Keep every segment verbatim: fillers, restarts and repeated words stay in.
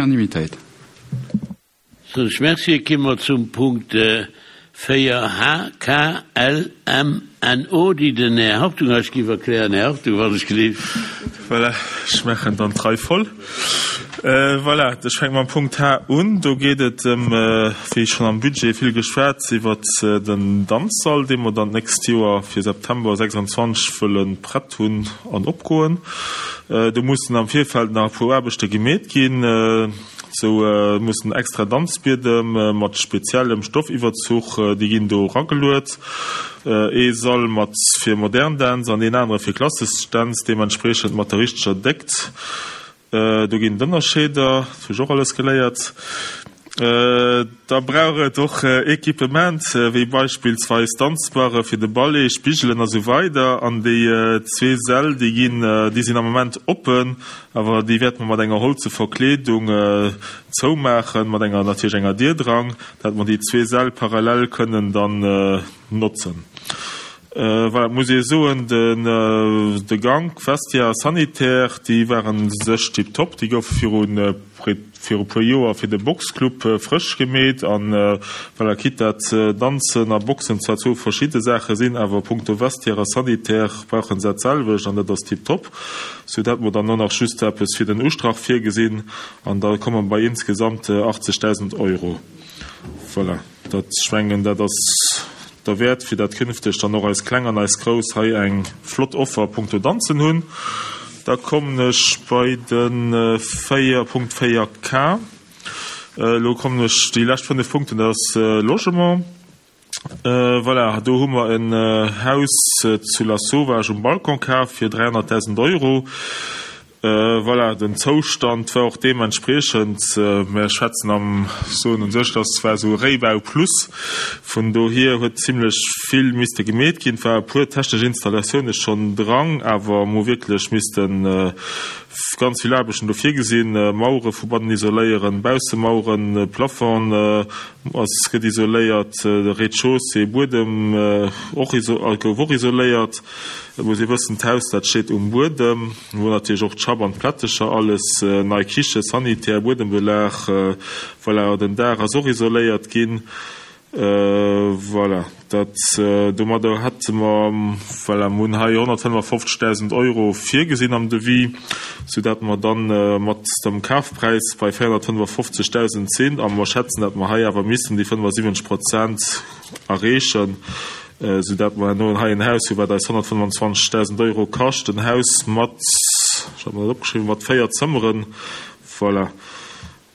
Unanimitéit. Soen ech Merci. Gi mer zum Punkt véier H, K, L, M, N, O, déi den Här Hartung eis géif erklären. Här Hartung, wann ech gleef. Voilà, ech maachen dann d'Rei voll. Voilà, ech fänke mam Punkt H un. Do geet et ëm, wéi schonn am Budget vill geschwat, iwwert den Danzsall, dee mer dann d'nächst Joer fir September sechsundzwanzeg wëlle prett hunn an opgoen. Do mussen am Virfeld nach e puer Aarbechte gemeet ginn. Sou mussen extra Danzbiedem mat speziellem Stoffiwwerzuch, déi ginn do erageluet. Ee Sall mat fir modern Dänz an een anere fir klassesch Dänz, deementspriechend mat der richteger Déckt. Do ginn et Ënnerscheeder, dat hu ech och alles geléiert. Da brauch et och Equipement, wéi beispillsweis Danzbarre fir de Ballet, Spigelen a sou weider. An déi zwee Säll, déi ginn, déi sinn am Moment oppen, awer déi wäerte mer mat enger holze Verkleedung zoumaachen, mat enger, natierlech enger Dier dran, dat mer déi zwee Säll parallel kënnen dann notzen. Voilà, et muss ee soen, den, de Gank, Vestiaire a Sanitaire, déi ware sech tiptop. Déi goufe viru viru puer Joer fir de Boxclub frësch gemeet. An voilà, quitte dat Danzen a Boxen zwar zwou verschidde Saache sinn, awer punkto Vestiaire a Sanitaire brauche se dat selwecht an dat ass tiptop. Sou dat mer dann och nach just eppes fir den Ustrach virgesinn an da komme mer bei insgesamt achtzegdausend Euro. Voilà, dat, ech mengen, dat ass derwäert, fir dat künfteg dann och eis Kleng an eis Grouss hei eng flott Offer punkto Danzen hunn. Da kommen ech bei de véier Punkt véier K. Elo kommen ech déi lescht fënnef Punkten, dat ass Logement. Voilà, do hu mer en Haus zu Lasauvage um Balcon kaf fir dräihonnertdausend Euro. Voilà, den Zoustand war och deementspriechend. Mir schwätzen am, soen un sech, dass war esou e Réibau plus. Vun dohier huet zimlech vill misste gemeet ginn. Et war e puer technesch Installatioune schonn dran, awer mer hu wierklech misste ganz vill Aarbechten do virgesinn, Mauere vu bannen isoléieren, Baussemaueren, Plafond ass gëtt isoléiert, de Rez-de-chaussée, Buedem och gouf och isoléiert. Et muss ee wëssen, d'Haus, dat steet um Buedem, wou natierlech och d'Schapp an d'Plättecher, alles, nei Kiche, Sanitär, Buedembelag, voilà, den Daach ass och isoléiert ginn. Voilà, dat, domadder hätte mer, voilà, mer hunn hei honnertfënnefafofzegdausend Euro virgesinn am Devis, soudatt mer dann mat dem Kafpräis bei véierhonnertfënnefafofzegdausend sinn a mer schätzen, datt mer hei awer missten déi fënnefasiwwenzeg Prozent erreechen, soudatt mer herno hei en Haus hu wat eis honnertfënnefazwanzegdausend Euro kascht, en Haus mat, ech hat mer dat opgeschriwwen, mat véier Zëmmeren, voilà.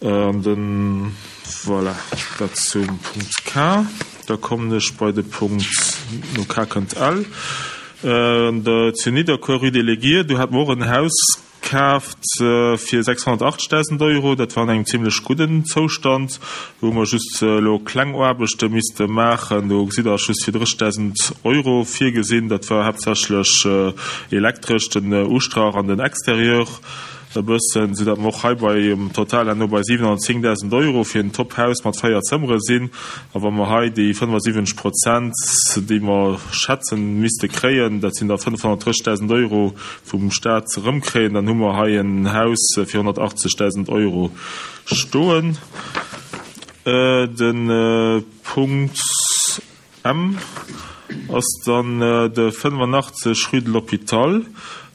An den, voilà, dat zum Punkt K. Da kommen ech bei de Punkt, no K kënnt L, zu Nidderkuer, Rue des Léguiers, do hate mer och en Haus kaaft fir sechshonnertachtzegdausend Euro. Dat war an engem zimlech gudden Zoustand. Do hu mer just elo kleng Aarbechte misste maachen. Do gesitt Der just fir drëssegdausend Euro virgesinn. Dat war haaptsächlech elektresch, den Ustrach an den Exterieur e bëssen, soudatt mer och hei beim Total herno bei siwenhonnertzéngdausend Euro fir en Top-Haus mat véier Zëmmere sinn. A wa mer hei déi fënnefasiwwenzeg Prozent, déi mer schätzen misste kréien, dat sinn da fënnefhonnertdrëssegdausend Euro, vum Stat erëmkréien, dann hu mer hei en Haus fir honnertachtzegdausend Euro stoen. De Punkt M ass dann de fënnefenachtzeg rue de l'Hôpital.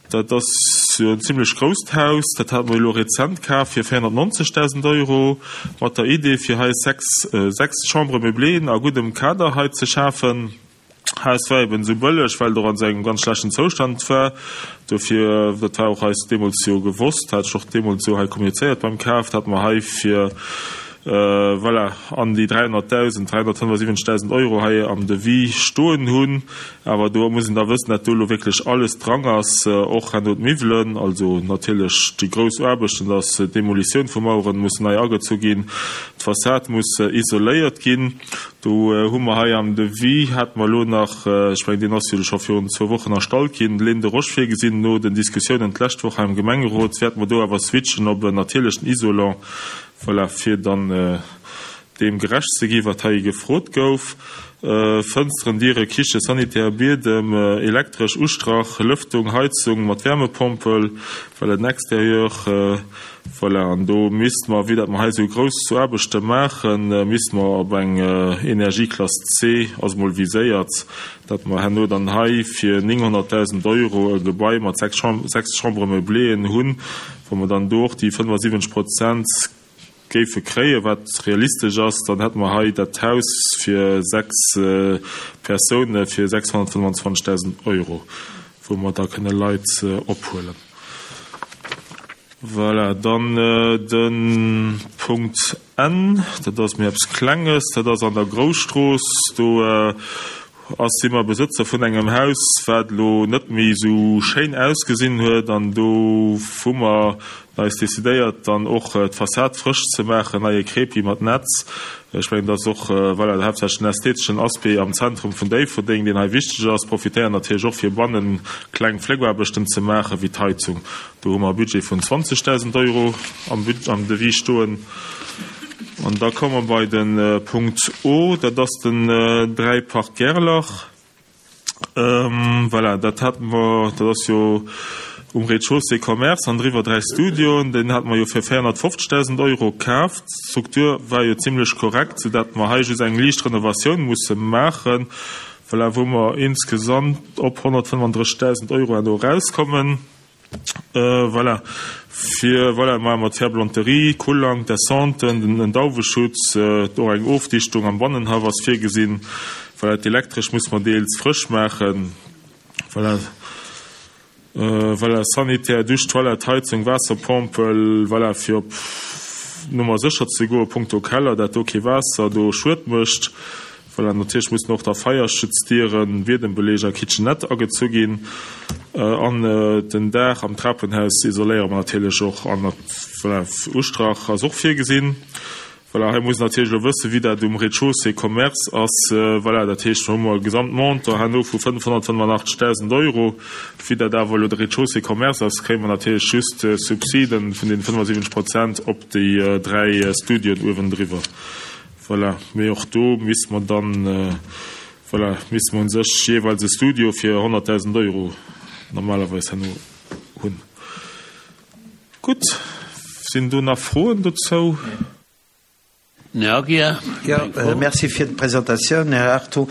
Dat ass jo en zimlech grousst Haus. Dat hate mer elo rezent kaf fir véierhonnertnonzegdausend Euro, mat der Idee fir hei sechs, sechs Chambres meublées a guddem Kader hei ze schafen. Haus war eben esou bëlleg, well et och an esou engem ganz schlechten Zoustand war. Dofir, dat war och eis deemools jo gewosst, hat ech och deemools esou hei kommunizéiert beim Kaf, datt mer hei fir, voilà, an déi dräihonnertdausend, dräihonnertfënnefasiwwenzegdausend Euro hei am Devis stoen hunn. Awer do muss een da wëssen, datt do elo wierklech alles dran ass, och herno d'Miwwelen, also natierlech déi grouss Aarbechten, datt d'Demolitioun vu Maueren muss nei agezu ginn, d'Fassad muss isoléiert ginn. Do hu mer hei am Devis, hate mer elo nach, ech mengen, deen ass jo scho virun zwou Wochen erstallt ginn, Lén de Roche virgesinn. No den Diskussiounen d'lescht Woch hei am Gemengerot wäerte mer do awer switchen op en natierlechen Isolant, voilà, fir dann deem gerecht ze ginn, wat hei gefrot gouf. Fënsteren, Diere, Kiche, Sanitär, Biedem, elektresch, Ustrach, Lëftung, Heizung mat Wärmepompel, voilà, den Exterieur, voilà. An do misste mer, vue datt mer hei esou grouss Aarbechte maachen, misste mer op eng Energieklass C, ass emol viséiert, datt mer herno dann hei fir nénghonnertdausend Euro e Gebai mat sechs Chambres meubléeën hunn, wou mer dann do och déi fënnefasiwwenzeg Prozent géife kréien, wat realistesch ass, dann hätte mer hei dat Haus fir sechs Persoune fir sechshonnertfënnwanzwanzegdausend Euro, wou mer da kënne Leit ophuelen. Voilà, dann de Punkt N, dat ass méi eppes Klenges, dat ass an der Grousstrooss. Do ass, si mer Besëtzer vun engem Haus, wat elo net méi esou schéin ausgesinn huet, an do hu mer eis decidéiert, dann och d'Fassad frësch ze maachen, neie Crépi mat Netz. Ech mengen, dat ass och, voilà, haaptsächlech den ästheteschen Aspect am Zentrum vun Déifferdeng, deen hei wichteg ass. Profitéieren natierlech och, fir bannen kleng Fléckaarbechten ze maachen, wéi d'Heizung. Do hu mer e Budget vun zwanzegdausend Euro am am Devis stoen. An da komme mer bei de Punkt O, dat ass den dräi Park Gerlach. Voilà, dat hate mer, dat ass jo um Rez-de-chaussée Commerce an driwwer dräi Studioen. Deen hate mer jo fir véierhonnertfofzegdausend Euro kaaft. D'Struktur war jo zimlech korrekt, soudatt mer hei just eng liicht Renovatioun musse maachen, voilà, wou mer insgesamt op honnertfënnefandrëssigdausend Euro herno erauskommen. Voilà, fir, voilà, maache mer d'Ferblanterie, Kullang, d'Descenten, den Dauweschutz, och eng Ofdichtung am Bannenhaff ass virgesinn. Voilà, d'Elektresch muss mer deels frësch maachen. Voilà, voilà, Sanitär, Dusch, Toilette, Heizung, Waasserpompel, voilà, fir op Nummer sécher ze goe punkto Keller, dat do kee Waasser do Schued mécht. Voilà, natierlech mussen och da Feierschutzdieren, Biedembeleeg a Kitchenette agezu ginn. An den Daach am Trapenhaus isoléiere mer natierlech och. An voilà, Ustrach ass och virgesinn. Voilà, hei muss een natierlech elo wëssen, wéi dat um Rez-de-chaussée Commerce ass. Voilà, dat heescht, do hu mer e Gesamtmontant herno vu fënnfhonnertfënnefanachtezegdausend Euro. Wéi dat awer elo de Rez-de-chaussée Commerce ass, kréie mer natierlech just Subsiden vun deene fënnefasiwwenzeg Prozent op déi dräi Studioen uewendriwwer. Voilà, mee och do misste mer dann, voilà, misste mer u sech jeeweils e Studio fir honnertdausend Euro normalerweis herno hunn. Gutt, sinn do nach Froen dozou? Här Aguiar, eng Fro? Merci fir d'Presentatioun, Här Artho.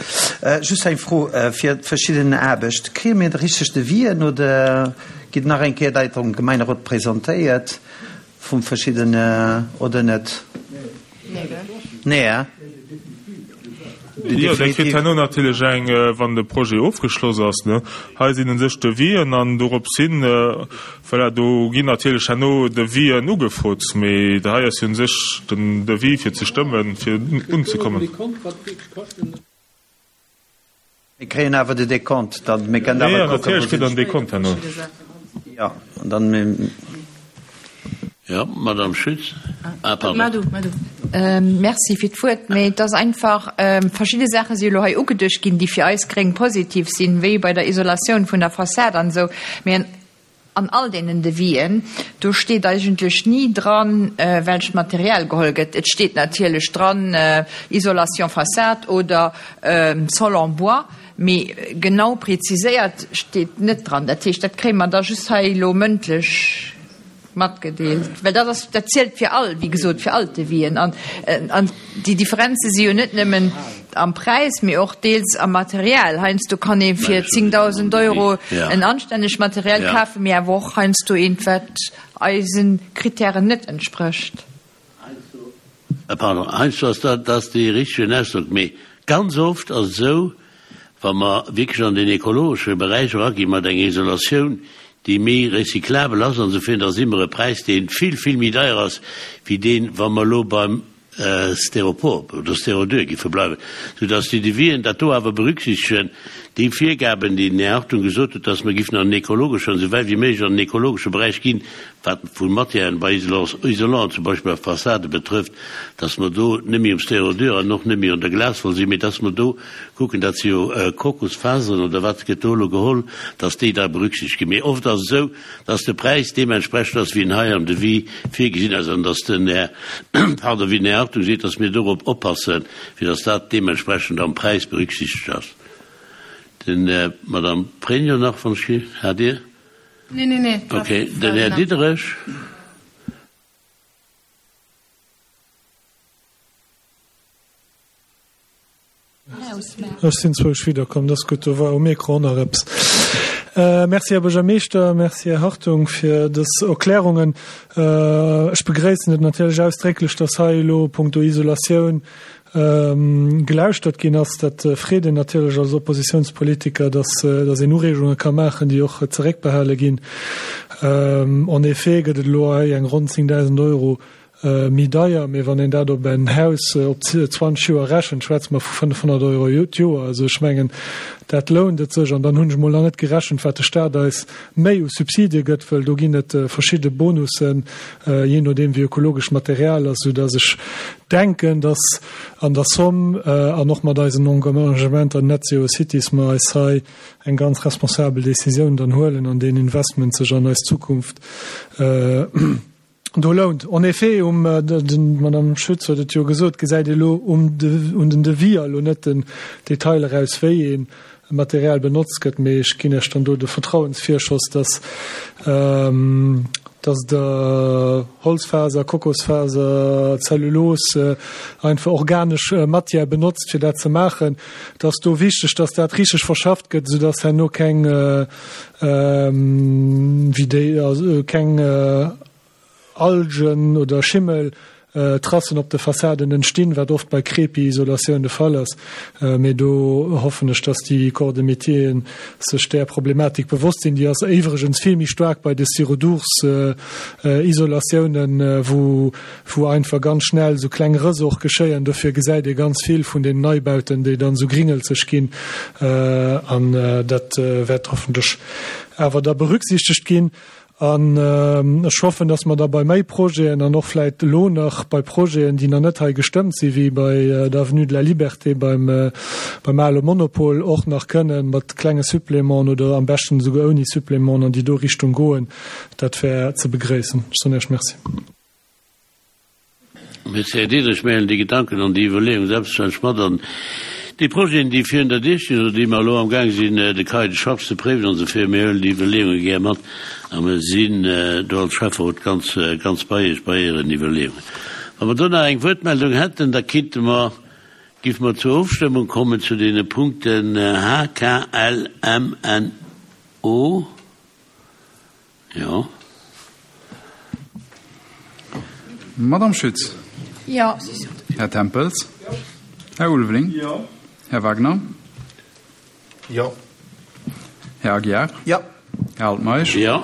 Just eng Fro fir d'verschidden Aarbecht. Kréie mir de richteg Devis'en oder gitt nach eng Kéier dat am Gemeinderot presentéiert vum verschiddene oder net? Nee, hä? Jo, Dir kritt herno natierlech eng, wann de Projet ofgeschloss ass. Hei sinn u sech Devis'en an dorops hin, voilà, do ginn natierlech herno Devis'en ugefrot, mee hei ass jo u sech den Devis fir ze stëmmen, fir unzekommen. Mir kréien awer de Dekont dann, mir kënnen awer kucken, natierlech kritt Der den Dekont herno. Jo, an dann. Jo, Madame Schütz. Ah, pardon. Madu, Madu. Merci fir d'Wuert. Mee et ass einfach, verschidde Saache si elo hei ugeduecht ginn, déi fir eis Gréng positiv sinn, wéi bei der Isolatioun vun der Fassad an esou. Mee an all deenen Devis'en, do steet eigentlech ni dran, welcht Material geholl gëtt. Et steet natierlech dran, Isolation façade oder Sol en bois, mee genau preziséiert steet net dran. Dat heescht, dat kréie mer da just hei elo mëndlech matgedeelt, well dat ass, dat zielt fir all, wéi gesot, fir all d'Devis'en. An, an déi Differenze si jo net nëmmen am Präis, mee och deels am Material. Heiansdo kann ee fir zéngdausend Euro en anstännegt Material kafen, mee awer och heiansdo eent, wat eise Kritären net entsprécht. Pardon, heiansdo ass dat, dat ass dee richtegen Ausdrock, mee ganz oft ass et esou, wa mer wierklech an den ekologesche Beräich eragi mat enger Isolatioun, déi méi recyclabel ass an esou virun, da si mer e Präis, dee vill, vill méi deier ass wéi deen, wa mer elo beim Styropor oder Styrodur giffe bleiwen, soudass déi Devis'en dat do awer berücksichtegen, Déi Virgaben, déi den Här Hartung gesot huet, dass mer giffen an den ekologeschen, esou wäit wéi méiglech an den ekologesche Beräich ginn, wat vu Matièren bei Isolanten zum Beispill bei Fassade betrëfft, dass mer do net méi um Styrodur an och net méi un der Glaswoll sinn, mee dass mer do kucken, dat si jo Kokosfaseren oder wat gëtt do elo geholl, dass déi da berücksichtegt ginn. Mee oft ass et esou, dass de Präis deementsprechend ass, wéi en hei am Devis virgesinn ass, an dass den Här, pardon, wéi den Här Hartung seet, dass mir dorop oppassen, fir dass dat deementsprechend am Präis berücksichtegt ass. Den, Madame Pregno nach, wann ech, hat Dir? Nee, nee, nee. Okay, den Här Diderich. Ech sinn zwousch widderkomm, dat ass gutt, do war um Mikro och nach eppes. Merci, Här Buergermeeschter, merci, Här Hartung, fir dës Erklärungen. Ech begréissen et natierlech ausdrécklech, dass hei elo punkto Isolatioun gelauschtert ginn ass. Dat freet een natierlech als Oppositionspolitiker, dass, dass een Ureegunge ka maachen, déi och zeréckbehale ginn. En effet gëtt et elo hei eng ronn zéngdausend Euro méi deier, mee wann een dat op en Haus op zwanzeg Joer rechent, schwätze mer vu fënnefhonnert Euro d'Joer. Also ech mengen, dat lount et sech. An dann hunn ech emol nach net gerechent, wat de Staat eis méi u Subsidie gëtt, wëll do ginn et verschidde Bonussen, jee nodeem wéi ökologesch d'Material ass, soudass ech denken, dass an der Somme an och mat eisen Engagementer Net Zero Cities mer eis hei eng ganz responsabel Décisioun dann huelen an deen Investment sech an eis Zukunft do lount. En effet, um, d'Madame Schütz huet et jo gesot, gesäit ee lo um un den Devis elo net den Detail eraus, wéi ee Material benotzt gëtt, mee ech ginn Iech dann do de Vertrauensvirschoss, dass, dass Der Holzfaser, Kokosfaser, Zellulos, einfach organesch Matière benotzt, fir dat ze maachen. Et ass do wichteg, dass dat richteg verschafft gëtt, soudass herno keng, wéi déi, keng Algen oder Schimmel Tracen op de Fassaden entstinn, wat oft bei Crépi-Isolatioun de Fall ass. Mee do hoffen ech, dass déi Corps de métieren sech där Problematik bewosst sinn. Déi ass iwwregens vill méi staark bei de Styrodur-Isolatiounen, wou wou einfach ganz schnell esou kleng Rëss och geschéien. Dofir gesäit ee ganz vill vun den Neibauten, déi dann esou gringelzeg ginn. An dat wäert hoffentlech awer da berücksichtegt ginn. An ech hoffen, dass mer da bei méi Projeten an och vläicht elo nach bei Projeten, déi nach net hei gestëmmt sinn, wéi bei der Avenue de la Liberté beim, beim ale Monopol, och nach kënnen mat klenge Supplémenten oder am beschten esouguer ouni Supplémenten an déi do Richtung goen. Dat wär ze begréissen. Ech soen Iech Merci. Merci, Här Diderich. Mir huelen déi Gedanken an déi Iwwerleeung selbstverständlech mat an déi Projeten, déi virun der Dier stinn oder déi mer elo amgaang sinn, de Cahier de charges ze préiwen an esou virun. Mir huelen déi Iwwerleeunge gär mat a mir sinn do als Schäfferot ganz, ganz bei Iech bei Ären Iwwerleeungen. Wa mer do nach eng Wuertmeldung hätten, da kinnte mer, géife mer zur Ofstëmmung kommen zu deene Punkten H, K, L, M, N, O. Jo. Madame Schütz. Jo. Här Tempels. Jo. Här Ulveling. Jo. Här Wagner. Jo. Här Aguiar. Jo. Här Altmeisch. Jo.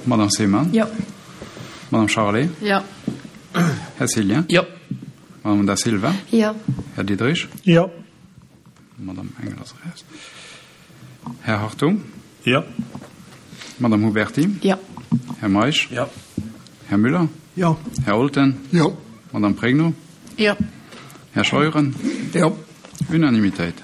Madame Seemann. Jo. Madame Charlé. Jo. Här Cillien. Jo. Madame Da Silva. Jo. Här Diderich. Jo. Madame Engel ass eraus. Här Hartung. Jo. Madame Huberti. Jo. Här Meisch. Jo. Här Müller. Jo. Här Olten. Jo. Madame Pregno. Jo. Här Scheuren. Jo. Unanimitéit.